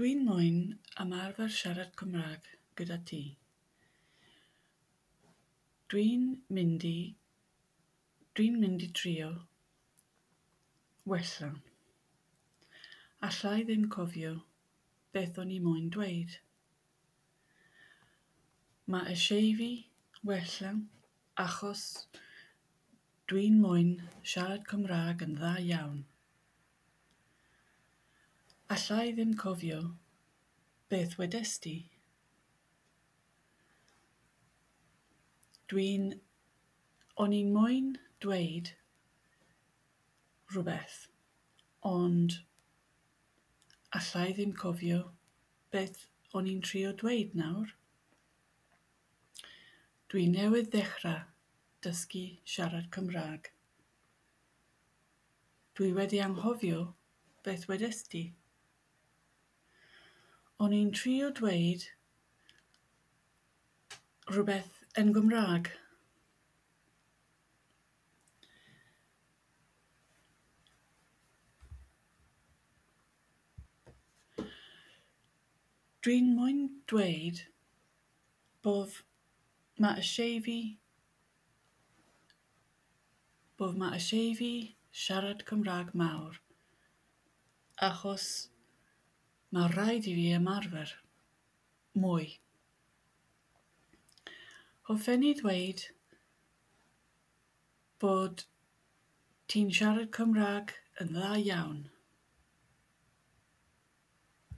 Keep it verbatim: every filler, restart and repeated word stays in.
Dwi'n moyn ymarfer siarad Cymraeg gyda ti. Dwi'n mynd i dwi'n mynd i trio wella. Alla i ddim cofio beth o'n i moyn dweud. Mae eisiau fi wella achos dwi'n moyn siarad Cymraeg yn dda iawn. Alla i ddim cofio beth wedest ti. Dwi'n... O'n i'n moyn dweud rhywbeth, ond alla i ddim cofio beth o'n i'n trio dweud nawr. Dwi newydd ddechrau dysgu siarad Cymraeg. Dwi wedi anghofio beth wedest ti. O'n i'n trio dweud rhywbeth yn Gymraeg. Dwi'n moyn dweud bod ma' eisiau fi bod ma' eisiau fi siarad Cymraeg mawr achos mae rhaid i fi ymarfer mwy. Hoffen i ddweud bod ti'n siarad Cymraeg yn dda iawn.